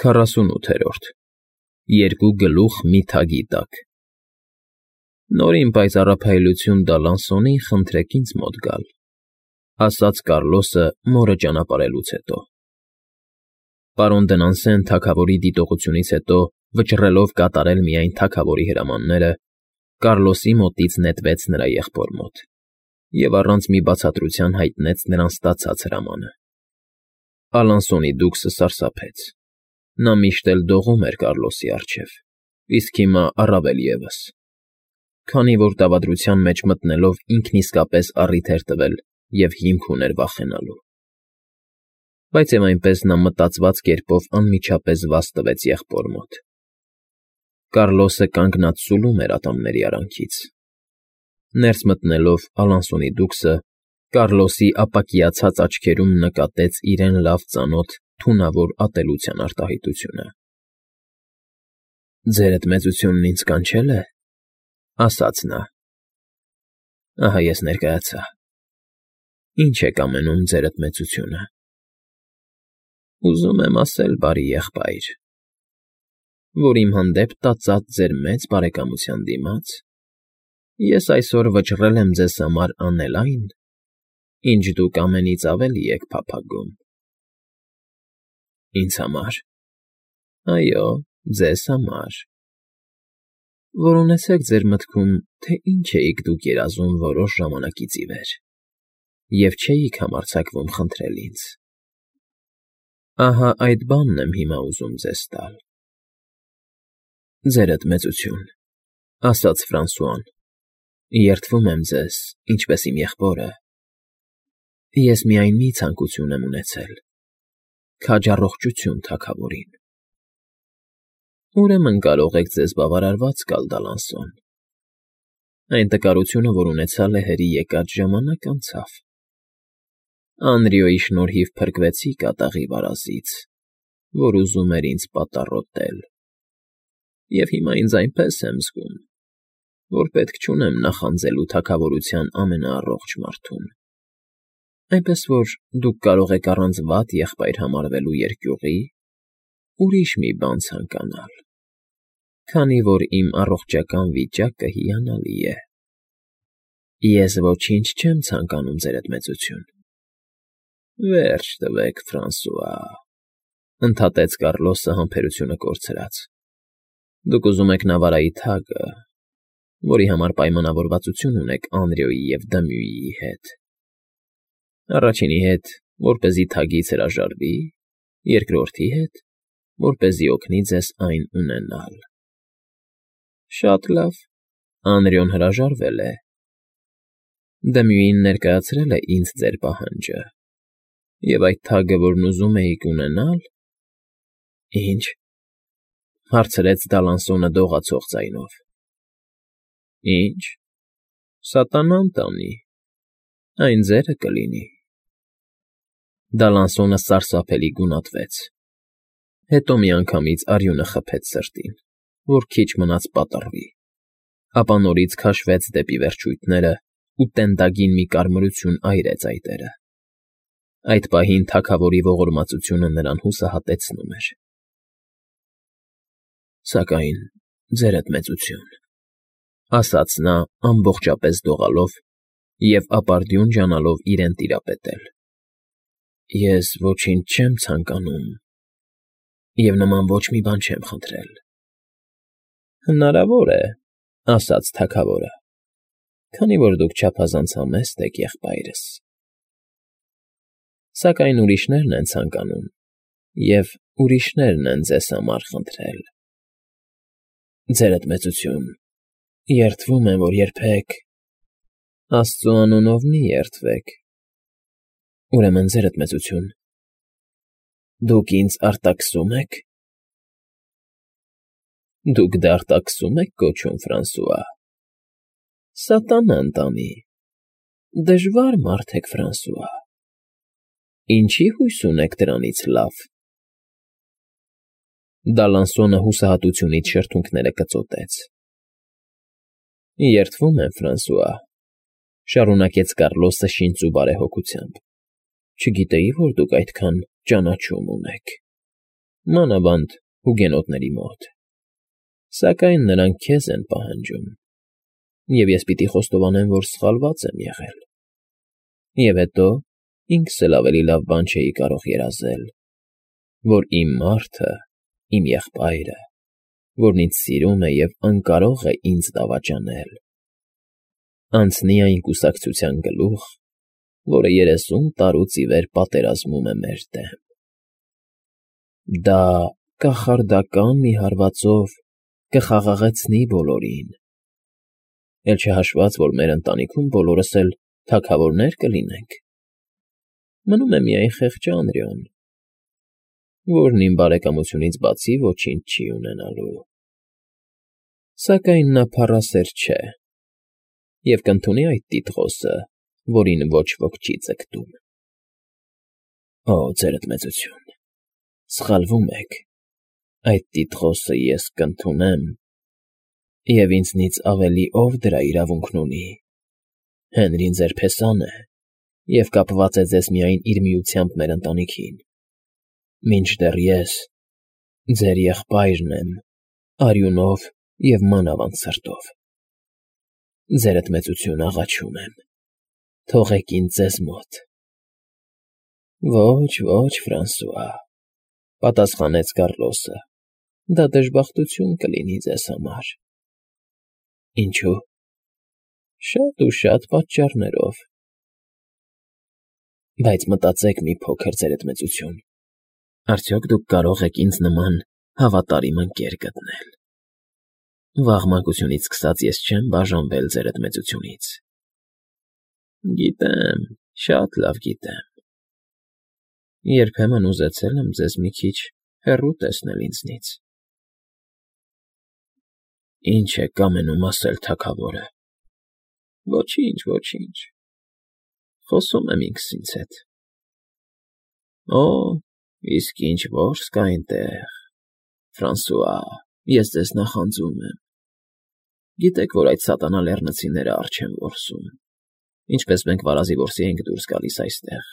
48 Երկու գլուխ մի թագի տակ Նորին պայծառափայլություն Դալանսոնին խնդրեք ինձ մոտ գալ, ասաց Կառլոսը մորը ճանապարհելուց հետո։ Պարոն Դնանսեն թագավորի դիտողությունից հետո վճռելով կատարել միայն թագավորի հրամանները, Կառլոսի մոտից նետվեց նրա եղբոր մոտ և առանց մի բացատրության հայտնեց նրան ստացած հրամանը։ Ալանսոնի դուքսը սարսափեց. նա միշտ էլ դողում էր Կառլոսի առջև, իսկ հիմա առավել ևս, քանի որ դավադրության մեջ մտնելով ինքն իսկապես առիթ էր տվել և հիմք ուներ վախենալու։ Բայց և այնպես նա մտածված կերպով անմիջապես վազ տվեց եղբոր մոտ։ Կառլոսը կանգնած սուլում էր ատամների արանքից։ Ներս մտնելով Ալանսոնի դուքսը Կառլոսի ապակիացած աչքերում նկատեց իրեն լավ ծանոթ թունավոր ատելության արտահայտությունը։ ֊ Ձերդ մեծությունն ինձ կանչել է,֊ ասաց նա։ ֊ Ահա ես ներկայացա։ Ինչ եք ամենում, ձերդ մեծությունը։ ֊ Ուզում եմ ասել, բարի եղբայր, որ իմ հանդեպ տածած ձեր մեծ բարեկամության դիմաց ես այսօր վճռել եմ ձեզ համար անել այն, ինչ դուք ամենից ավելի եք փափագում։ ֊ Ինձ համար։ ֊ Այո, ձեզ համար։ Որ ունեցեք ձեր մտքում, թե ինչ էիք դուք երազում որոշ ժամանակից ի վեր, և չէիք համարձակվում խնդրել ինձ։ Ահա այդ բանն եմ հիմա ուզում ձեզ տալ։ ֊ Ձերդ մեծություն,֊ ասաց Ֆրանսուան,֊ երդվում եմ ձեզ, ինչպես իմ եղբորը։ Ես միայն մի ցանկություն եմ ունեցել՝ քաջ առողջություն թագավորին։ Ուրեմն կարող եք ձեզ բավարարված գալ, Դալանսոն։ Այն տկարությունը, որ ունեցալ է հրի եկած ժամանակ, անցավ։ Անրիոյի շնորհիվ փրկվեցի կատաղի վարազից, որ ուզում էր ինձ պատառոտել, և հիմա ինձ այնպես եմ զգում, որ պետք չունեմ նախանձելու թագավորության ամենաառողջ մարդուն։ Այնպես որ դուք կարող եք առանց վատ եղբայր համարվելու երկյուղի ուրիշ մի բան ցանկանալ, քանի որ իմ առողջական վիճակը հիանալի է։ ֊ Ես ոչինչ չեմ ցանկանում, ձերդ մեծություն։ ֊ Վերջ տվեք, Ֆրանսուա,֊ ընդհատեց Կառլոսը համբերությունը կորցրած։ Դուք ուզում եք Նավարայի թագը, որի համար պայմանավորվածություն ունեք Անրիոյի և Դմյուիի հետ։ Առաջինի հետ, որպեսզի թագից հրաժարվի, երկրորդի հետ, որպեսզի օգնի ձեզ այն ունենալ։ Շատ լավ, Անրիոն հրաժարվել է։ Դմյուին ներկայացրել է ինձ ձեր պահանջը, և այդ թագը, որն ուզում էիք ունենալ… ֊ Ի՞նչ,֊ հարցրեց Դալանսոնը դողացող ձայնով։ ֊ Ի՞նչ… Սատանան տանի, այն ձերը կլինի։ Դալանսոնը սարսափելի գունատվեց, հետո միանգամից արյունը խփեց սրտին, որ քիչ մնաց պատռվի, ապա նորից քաշվեց դեպի վերջույթներն ու տենդագին մի կարմրություն այրեց այտերը։ Այդ պահին թագավորի ողորմածությունը նրան հուսահատեցնում էր։ ֊ Սակայն, ձերդ մեծություն,֊ ասաց նա ամբողջապես դողալով և ապարդյուն ջանալով իրեն տիրապետել,֊ ես ոչինչ չեմ ցանկանում և նման ոչ մի բան չեմ խնդրել։ ֊ Հնարավոր է,֊ ասաց թագավորը, քանի որ դուք չափազանց համեստ եք, եղբայրս։ Սակայն ուրիշներն են ցանկանում, և ուրիշներն են ձեզ համար խնդրել։ ֊ Ձերդ մեծություն, երդվում եմ, որ երբեք… Աստծու անունով մի երդվեք։ Ուրեմն, ձերդ մեծություն, դուք ինձ արտաքսո՞ւմ եք։ ֊ Դուք դարտաքսո՞ւմ եք կոչում, Ֆրանսուա։ Սատանան տանի, դժվար մարդ եք, Ֆրանսուա։ Ինչի՞ հույս ունեք դրանից լավ։ Դալանսոնը հուսահատությունից շրթունքները կծոտեց։ ֊ Երդվում եմ, Ֆրանսուա,֊ շարունակեց Կառլոսը շինծու բարեհոգությամբ, չգիտեի, որ դուք այդքան ճանաչում ունեք։ մանավանդ հուգենոտների մոտ, սակայն նրանք քեզ են պահանջում, և ես պիտի խոստովանեմ, որ սխալված եմ եղել, և հետո ինքս էլ ավելի լավ բան չէի կարող երազել, որ իմ մարդը, իմ եղբայրը, որն ինձ սիրում է և անկարող է ինձ դավաճանել, անցնի այն կուսակցության գլուխ, որը 30 տարուց ի վեր պատերազմում է մեր դեմ։ Դա կախարդական մի հարվածով կխաղաղեցնի բոլորին, էլ չհաշված, որ մեր ընտանիքում բոլորս էլ թագավորներ կլինենք, մնում է միայն խեղճ Անրիոն, որն իմ բարեկամությունից բացի ոչինչ չի ունենալու, սակայն նա փառասեր չէ և կընդունի այդ տիտղոսը, որին ոչ ոք չի ձգտում։ Օ, ձերդ մեծություն, սխալվում եք, այդ տիտղոսը ես կընդունեմ, և ինձնից ավելի ով դրա իրավունքն ունի, Հենրին ձեր փեսան է և կապված է ձեզ միայն իր միությամբ մեր ընտանիքին, մինչդեռ ես ձեր եղբայրն եմ արյունով և մանավանդ սրտով։ Ձերդ մեծություն աղաչում եմ, թողեք ինձ ձեզ մոտ։ Ոչ, Ֆրանսուଆ, պատասխանեց Կառլոսը, դա դժբախտություն կլինի ձեզ համար։ Ինչու՞։ Շատ ու շատ պատճառներով։ Բայց մտածեք մի փոքր, ձերդ մեծություն, արդյոք դուք կարող եք ինձ նման հավատարիմ ընկեր գտնել։ Վաղ մանկությունից սկսած ես չեմ բաժանվել ձերդ մեծությունից։ Գիտեմ, շատ լավ գիտեմ։ Երբեմն ուզեցել եմ ձեզ մի քիչ հեռու տեսնել ինձնից։ Ինչ եք կամենում ասել, թագավորը։ Ոչինչ, խոսում եմ ինքս ինձ հետ։ Օ, իսկ ինչ որս կա այնտեղ, Ֆրանսուଆ, ես ձեզ նախանձում եմ։ Գիտեք, որ այդ սատանա լեռնցիները առջ են որսում, ինչպես մենք վարազի որսի ենք դուրս գալիս այստեղ։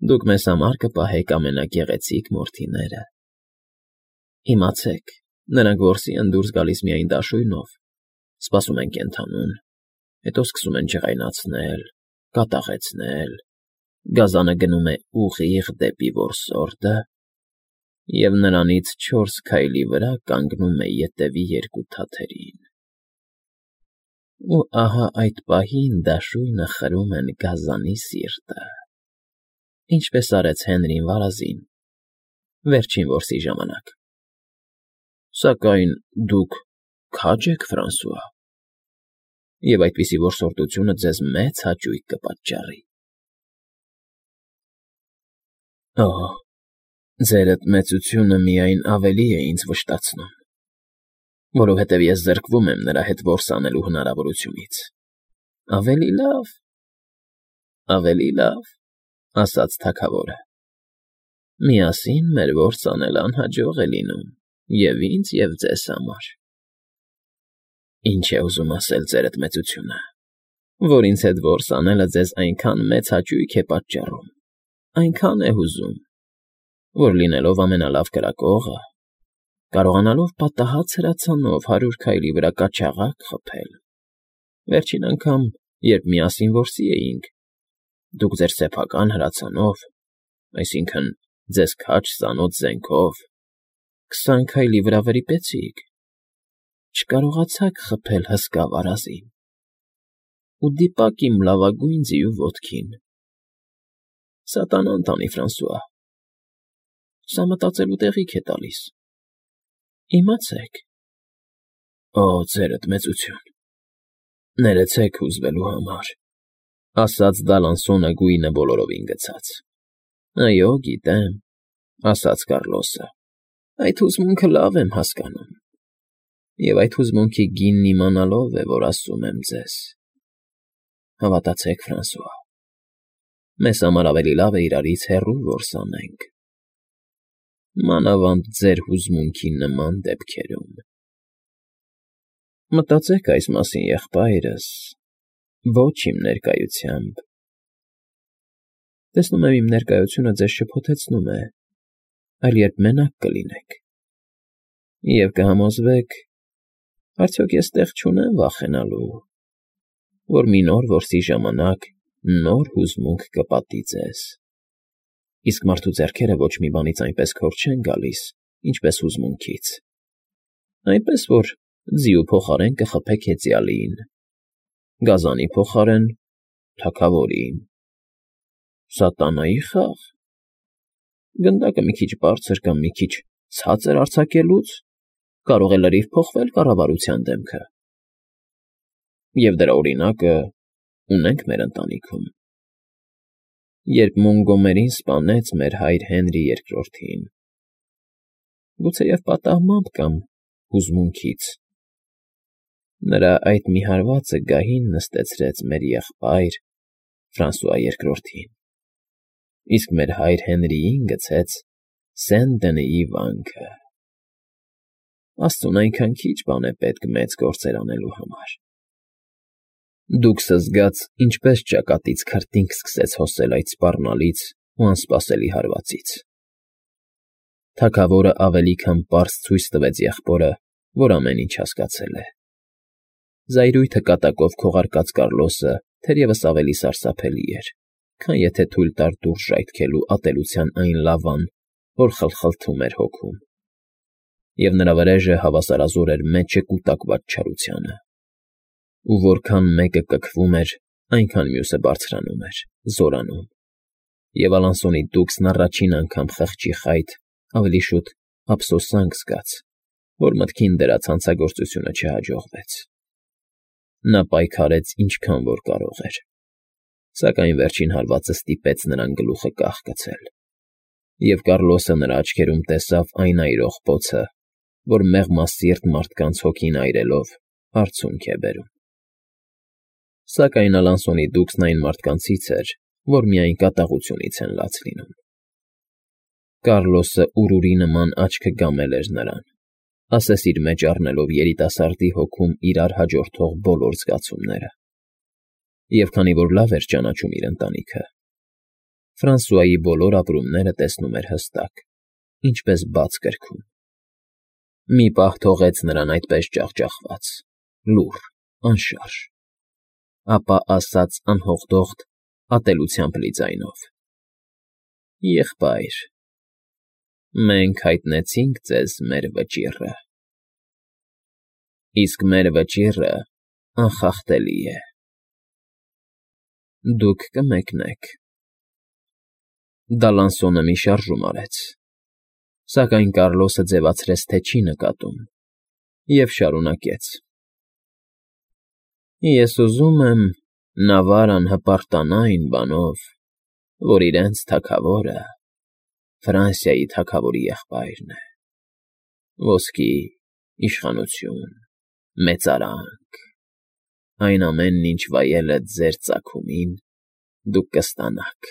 Դուք մեզ համար կպահեք ամենագեղեցիկ մորթիները։ Իմացեք, նրանք որսի են դուրս գալիս միայն դաշույնով, սպասում են կենդանուն, հետո սկսում են ջղայնացնել, կատաղեցնել, գազանը գնում է ուղիղ դեպի որսորդը, և նրանից 4 քայլի վրա կանգնում է ետևի 2 թաթերին։ Ու ահա այդ պահին դաշույնը խրում են գազանի սիրտը, ինչպես արեց Հենրին վարազին, վերջին որսի ժամանակ։ Սակայն դուք քա՞ջ եք, Ֆրանսուଆ, և այդպիսի որսորդությունը ձեզ մեծ հաճույք կպատճառի։ Օ, ձերդ մեծությունը միայն ավելի է ինձ վշտացնում, որովհետև ես զրկվում եմ նրա հետ որս անելու հնարավորությունից։ Ավելի լավ, ասաց թագավորը։ Միասին մեր որս անելը անհաջող է լինում և ինձ, և ձեզ համար։ Ինչ է ուզում ասել ձերդ մեծությունը, որ ինձ հետ որս անելը ձեզ այնքան մեծ հաճույք է պատճառում, այնքան է հուզում, որ լինելով ամենալավ կրակողը, կարողանալով պատահած հրացանով 100 քայլի վրա կաչաղակ խփել, վերջին անգամ, երբ միասին որսի էինք, դուք ձեր սեփական հրացանով, այսինքն՝ ձեզ քաջ սանոց զենքով, 20 քայլի վրա վրիպեցիք, չկարողացաք խփել հսկա վարազին ու դիպակ իմ լավագույն ձիու ոտքին։ Սատանան տանի, Ֆրանսուଆ, սա մտածելու տեղիք է տալիս։ Իմացեք։ Օ, ձերդ մեծություն, ներեցեք հուզվելու համար, ասաց Դալանսոնը գույնը բոլորովին գցած։ Այո, գիտեմ, ասաց Կառլոսը, այդ հուզմունքը լավ եմ հասկանում, և այդ հուզմունքի գինն իմանալով է, որ ասում եմ ձեզ. հավատացեք, Ֆրանսուଆ, մեզ համար ավելի լավ է իրարից հեռու որս անենք, մանավանդ ձեր հուզմունքի նման դեպքերում։ Մտածեք այս մասին, եղբայրս, ոչ իմ ներկայությամբ։ Տեսնում եմ, իմ ներկայությունը ձեզ շփոթեցնում է, այլ երբ մենակ կլինեք։ Եվ կհամոզվեք, արդյոք ես տեղ չունեմ վախենալու, որ մի նոր որսի ժամանակ նոր հուզմունք կպատի ձեզ։ Իսկ մարդու ձեռքերը ոչ մի բանից այնպես քոր չեն գալիս, ինչպես հուզմունքից, այնպես որ ձիու փոխարեն կխփեք հեծյալին, գազանի փոխարեն թագավորին, սատանայի խաղ, գնդակը մի քիչ բարձր կամ մի քիչ ցածր արձակելուց կարող է լրիվ փոխվել կառավարության դեմքը։ Եվ դրա օրինակը ունենք մեր ընտանիքում։ Երբ Մոնգոմերին սպանեց մեր հայր Հենրի II-ին, գուցեև պատահմամբ կամ հուզմունքից, նրա այդ մի հարվածը գահին նստեցրեց մեր եղբայր Ֆրանսուଆ II-ին, իսկ մեր հայր Հենրիին գցեց Սեն֊Դենիի վանքը։ Աստծուն այնքան քիչ բան է պետք մեծ գործեր անելու համար։ Դուք զգաց, ինչպես ճակատից քրտինք սկսեց հոսել այդ սպառնալից ու անսպասելի հարվածից։ Թագավորը ավելի քան պարզ ցույց տվեց եղբորը, որ ամեն ինչ հասկացել է։ Զայրույթը կատակով քողարկած Կարլոսը թերևս ավելի սարսափելի էր, քան եթե թույլ տար դուրս ժայթքելու ատելության այն լավան, որ խլխլթում էր հոգում։ Եվ նրա վրեժը հավասարազոր էր մեջը կուտակված չարությանը։ Ու որքան մեկը կքվում էր, այնքան մյուսը բարձրանում էր, զորանում։ Եվ Ալանսոնի դուքսն առաջին անգամ խղճի խայտ, ավելի շուտ ափսոսանք զգաց, որ մտքին դրած հանցագործությունը չհաջողվեց։ Նա պայքարեց ինչքան որ կարող էր, սակայն վերջին հարվածը ստիպեց նրան գլուխը կախկցել, և Կարլոսը նրա աչքերում տեսավ այն այրող բոցը, որ մեղմասիրտ մարդկանց հոգին այրելով արցունք է բերում։ Սակայն Ալանսոնի դուքսն այն մարդկանցից էր, որ միայն կատաղությունից են լաց լինում։ Կարլոսը ուրուրի նման աչքը գամել էր նրան, ասես իր մեջ առնելով երիտասարդի հոգում իրար հաջորդող բոլոր զգացումները։ Եվ քանի որ լավ էր ճանաչում իր ընտանիքը, Ֆրանսուայի բոլոր ապրումները տեսնում էր հստակ, ինչպես բաց կրքում։ Մի պահ թողեց նրան այդպես ջախջախված, լուռ, անշարժ, ապա ասաց անհողդողդ, ատելությամբ լի ձայնով. «Եղբայր, մենք հայտնեցինք ձեզ մեր վճիռը, իսկ մեր վճիռը անխախտելի է։ Դուք կմեկնեք»։ Դալանսոնը մի շարժում արեց, սակայն Կարլոսը ձևացրեց, թե չի նկատում, և շարունակեց. «Ես ուզում եմ Նավարան հպարտանա այն բանով, որ իրենց թագավորը Ֆրանսիայի թագավորի եղբայրն է. ոսկի, իշխանություն, մեծարանք, այն ամենն, ինչ վայելը ձեր ծագումին, դուք կստանաք,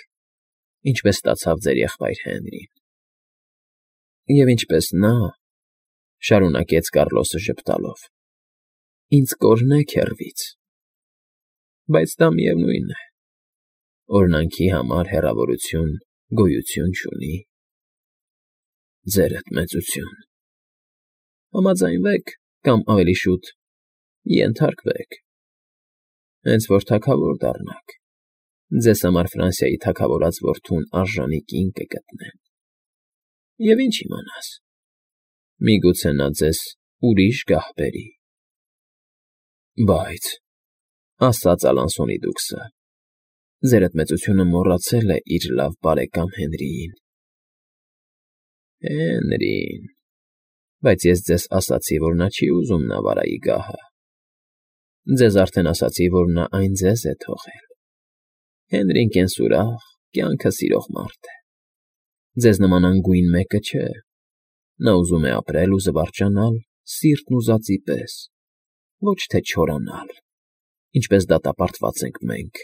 ինչպես ստացավ ձեր եղբայր Հենրին։ Եվ ինչպես նա, ֊ շարունակեց Կարլոսը ժպտալով, ֊ ինձ կօրհնեք հեռվից, բայց դա միևնույն է, օրհնանքի համար հեռավորություն գոյություն չունի։ Ձերդ մեծություն, համաձայնվեք կամ ավելի շուտ ենթարկվեք, հենց որ թագավոր դառնաք, ձեզ համար Ֆրանսիայի թագավորած որդուն արժանի կին կգտնեմ։ Եվ ինչ իմանաս, միգուցե նա ձեզ ուրիշ գահ բերի։ Բայց, ֊ ասաց Ալանսոնի դուքսը, ֊ ձերդ մեծությունը մոռացել է իր լավ բարեկամ Հենրիին։ Հենրին, բայց ես ձեզ ասացի, որ նա չի ուզում Նավարայի գահը։ Ձեզ արդեն ասացի, որ նա այն ձեզ է թողել։ Հենրին կենսուրախ, կյանքը սիրող մարդ է։ Ձեզ նման անգույն մեկը չէ։ Նա ուզում է ապրել ու զվարճանալ սիրտն ուզածի պես, ոչ թե չորանալ, ինչպես դատապարտված ենք մենք,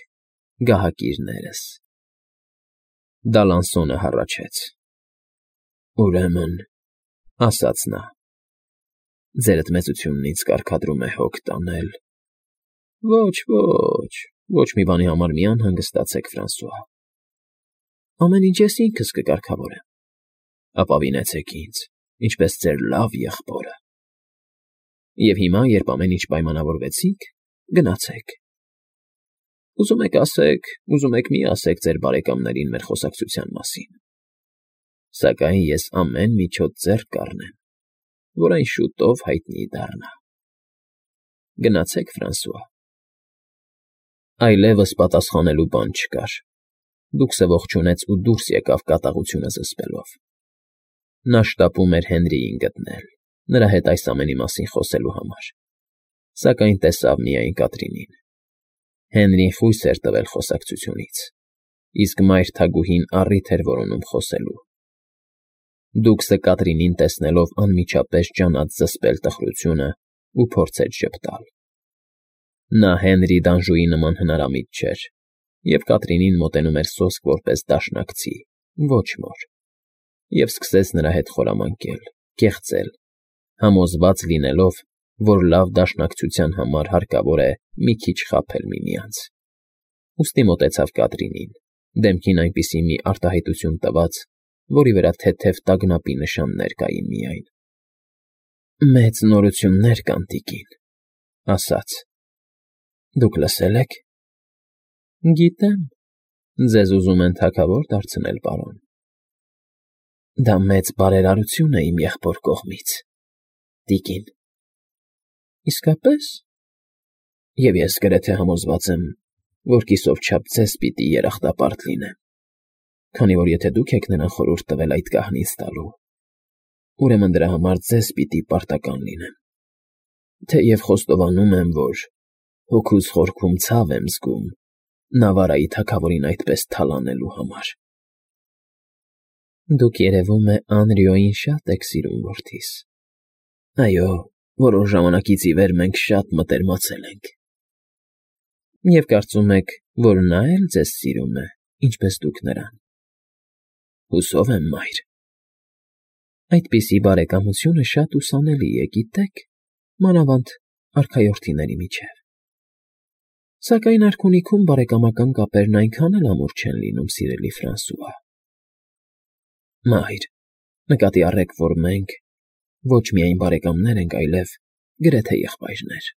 գահակիրներս։ Դալանսոնը հառաչեց. «Ուրեմն, ֊ ասաց նա, ֊ ձերդ մեծությունն ինձ կարգադրում է հոգ տանել։ Ոչ, ոչ մի բանի համար մի անհանգստացեք, Ֆրանսուଆ։ Ամեն ինչ ես ինքս կկարգավորեմ։ ապավինեցեք ինձ, ինչպես ձեր լավ եղբորը։ Եվ հիմա, երբ ամեն ինչ պայմանավորվեցիք, գնացեք։ Ուզում եք ասեք, ուզում եք մի ասեք ձեր բարեկամներին մեր խոսակցության մասին։ Սակայն ես ամեն միջոց ձեռք կառնեմ, որ այն շուտով հայտնի դառնա։ Գնացեք, Ֆրանսուଆ։ Այլևս պատասխանելու բան չկար։ Դուքսը ողջունեց ու դուրս եկավ կատաղությունը զսպելով։ Նա շտապում էր Հենրիին գտնել, նրա հետ այս ամենի մասին խոսելու համար, սակայն տեսավ միայն Կատրինին։ Հենրին խույս էր տվել խոսակցությունից, իսկ մայր թագուհին առիթ էր որոնում խոսելու։ Դուքսը Կատրինին տեսնելով անմիջապես ջանաց զսպել տխրությունը ու փորձեց ժպտալ։ Նա Հենրի Դանժուի նման հնարամիտ չէր, և Կատրինին մոտենում էր սոսկ որպես դաշնակցի, ոչ մոր, և սկսեց նրա հետ խորամանկել, կեղծել, համոզված լինելով, որ լավ դաշնակցության համար հարկավոր է մի քիչ խաբել միմյանց։ Ուստի մոտեցավ Կատրինին, դեմքին այնպիսի մի արտահայտություն տված, որի վրա թեթև տագնապի նշաններ կային միայն։ «Մեծ նորություններ կան, տիկին», ասաց։ «Դուք լսել եք»։ «Գիտեմ, ձեզ ուզում են թագավոր դարձնել, պարոն»։ «Դա մեծ բարերարություն է իմ եղբոր կողմից, տիկին»։ «Իսկապես»։ «Եվ ես գրեթե համոզված եմ, որ կիսով չափ ձեզ պիտի երախտապարտ լինեմ, քանի որ եթե դուք եք նրան խորհուրդ տվել այդ կահնից տալու, ուրեմն դրա համար ձեզ պիտի պարտական լինեմ, թեև խոստովանում եմ, որ հոգուս խորքում ցավ եմ զգում Նավարայի թագավորին այդպես թալանելու համար»։ «Դուք, երևում է, Անրիոյին շատ եք սիրում, որդիս»։ «Այո, որոշ ժամանակից ի վեր մենք շատ մտերմացել ենք»։ «Եվ կարծում եք, որ նա էլ ձեզ սիրում է, ինչպես դուք նրան»։ «Հուսով եմ, մայր»։ «Այդպիսի բարեկամությունը շատ ուսանելի է, գիտեք, մանավանդ արքայորդիների միջև։ Սակայն արքունիքում բարեկամական կապերն այնքան էլ ամուր չեն լինում, սիրելի Ֆրանսուଆ»։ «Մայր, նկատի առեք, որ մենք ոչ միայն բարեկամներ ենք, այլև գրեթե եղբայրներ»։